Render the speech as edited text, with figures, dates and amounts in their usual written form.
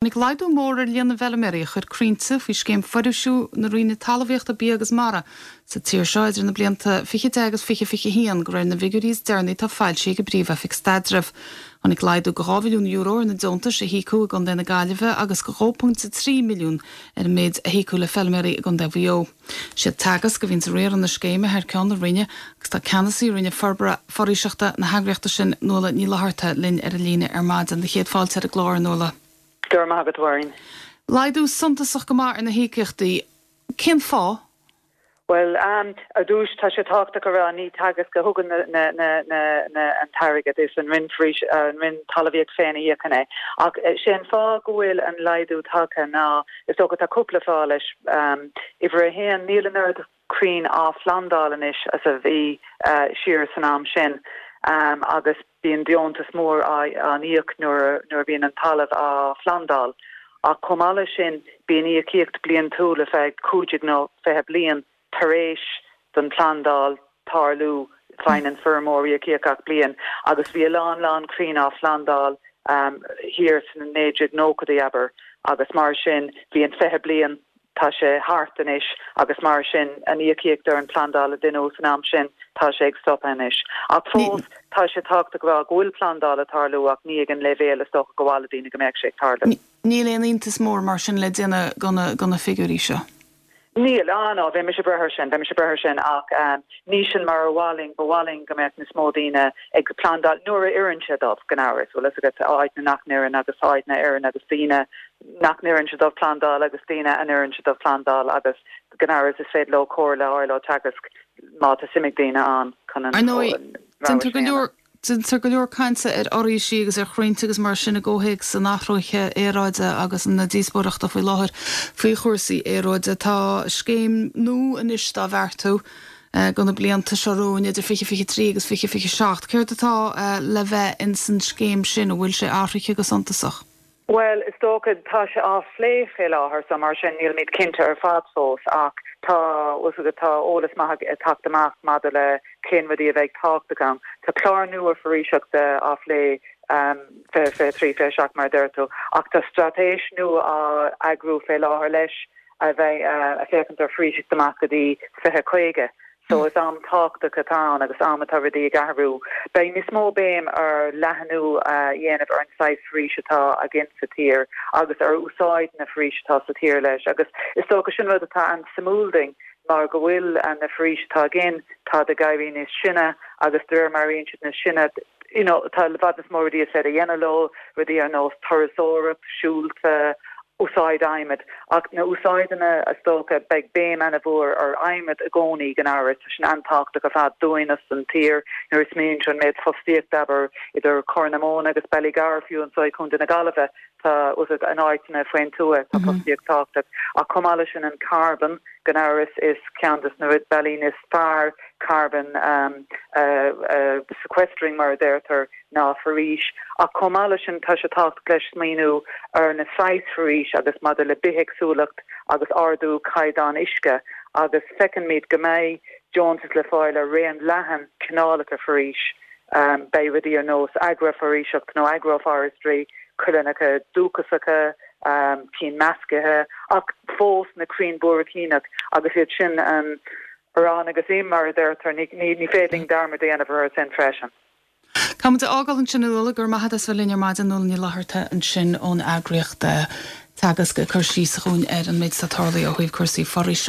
Tháinig laghdú mór ar líon na bhfeilméaraí a chuir crainnte faoi scéim foraoisiú na Roinne Talmhaíochta, Bia agus Mara sa tír seo idir na blianta 2010 agus 2021, de réir na bhfigiúirí is deireanaí atá foilsithe ag an bPríomh-Oifig Staidrimh. Tháinig laghdú de €2 mhilliún ar na deontais a híocadh i gContae na Gaillimhe agus de 2.3 milliún ar an méid a híocadh le feilméaraí i gContae Mhaigh Eo. Siad Teagasc a bhíonns ag riaradh na scéime thar ceann na Roinne agus tá ceannasaí Roinne Forbartha Foraoiseachta na heagraíochta sin, Nuala Ní Fhlatharta, linn ar an líne ar maidin. Do chéad fáilte ar an gclár, a Nuala. Go raibh maith agat, a Mháirín. Laghdú suntasach go maith ar na híocaíochtaí. Cén fáth? Bhuel, ar dtús, tá sé tábhachtach a rá, ní Teagasc a thugann an t-airgead, is an Roinn Foraois, an Roinn Talmhaíochta féin a íocann é. Ach sé an fáth go bhfuil an laghdú tagtha ná, Is dócha tá cúpla fáth leis. Uimhir a haon, níl an oiread crainn á phlandáil anois as a bhí siar san am sin agus bíonn deontas mór á n-íoc nuair a bhíonn an talamh á phlandáil. Ach chomh maith leis sin, bíonn íocaíocht bliantúil ar feadh 15 nó 20 bliain tar éis don phlandáil tarlú, faigheann an feirmeoir íocaíocht gach bliain agus bhí a lán lán crainn á phlandáil thiar sna 1990idí, abair, agus mar sin bhí an 20 bliain, tá sé thart anois agus mar sin an íocaíocht ar an phlandáil a deineadh san am sin, tá sé ag stopadh anois. Ach fós, tá sé tábhachtach a rá go bhfuil plandáil ag tarlú ach ní ag an leibhéal is dócha gur mhaith le daoine go mbeadh sé ag tarlú. Níl aon iontas mór mar sin le déanamh de na figiúirí seo. Níl, ah no, bheadh mise buartha air sin, bheadh mise buartha air sin ach ní sin mar a mhaith linn, ba mhaith linn go mbeadh níos mó daoine ag plandáil nuair a oireann sé dóibh, gan amhras, bhfuil fhios agat, áiteanna nach n-oireann agus áiteanna a oireann agus daoine nach n-oireann sé dóibh plandáil agus daoine a n-oireann sé dóibh plandáil agus gan amhras is féidir leo comhairle a fháil ó Teagasc má tá suim ag daoine ann chun an Ar ndóigh, rogha déantar sin go a leor dhéanamh. Déantar go leor cainte ar fhoraoisí agus ar chrainnte agus mar sin i gcomhthéacs an athraithe aeráide agus na díospóireachta faoi láthair faoi chúrsaí aeráide. Tá scéim nua anois dá bheartú do na blianta seo romhainn, idir 2023 agus 2027. Céard atá le bheith ins an scéim sin? An bhfuil sé athraithe go suntasach? Bhuel, is dócha, tá sé á phlé fé láthair so mar sin nílimid cinnte ar fad fós ach tá, bhfuil fhios agat, tá eolas maith ag teacht amach maidir le cén rudaí a bheidh tábhachtach ann. Tá clár nua foraoiseachta á phlé, 2023, 27 mar a deir tú, ach tá straitéis nua á eagrú fé láthair leis a bheidh ag féachaint ar foraoiseacht amach go dtí 2050. So is am tábhachtach atá ann agus am atá rudaí ag athrú. Beidh níos mó béim ar leathnú a dhéanamh ar an saghas foraois atá againn sa tír agus ar úsáid na foraoise atá sa tír leis agus is dócha sin rud atá an-suimiúil duinn mar go bhfuil na foraois atá againn, táid ag éirí níos sine agus de réir mar a éiríonn siad níos sine, you know, tá i bhfad níos mó rudaí is féidir a dhéanamh leo, rudaí ar nós turasóireacht, siúlta, úsáid adhmaid. Ach na úsáideanna, is dócha, beidh béim ana-mhór ar adhmad i gcónaí, gan amhras. Tá sin an-tábhachtach ar fad dúinn is don tír. Nuair a smaoiníonn tú an méid fostaíochta, abair, idir Corr na Móna agus Ballygar, fiú anseo i Contae na Gaillimhe, tá, in áiteanna faoin tuath, tá fostaíocht tábhachtach. Ach chomh maith leis sin, an carbon, gan amhras, is ceann des na bealaí níos fearr carbon a sequestering, mar a deirtear, ná foraois. Ach chomh maith leis sin, tá sé tábhachtach leis smaoiniú ar na saghas foraois agus maidir le bithéagsúlacht agus ardú caighdeán uisce agus feicimid go mbeidh deontas le fáil ar raon leathan cineálacha foraois. Beidh rudaí ar nós agrafhoraoiseacht nó agroforestry, coillearnacha dúchasacha, cinn meascaithe, ach fós na crainn buaircíneach agus iad sin an arán agus im, mar a deirtear, ní féidir linn dearmad a dhéanamh orthu sin freisin. Caithfidh muid a fhágáil ansin a Nuala, go raibh maith agat as bheith linn ar maidin, Nuala Ní Fhlatharta ansin ón eagraíocht Teagasc ag cur síos dhúinn ar an méid atá tarlaithe ó thaobh cúrsaí foraoise.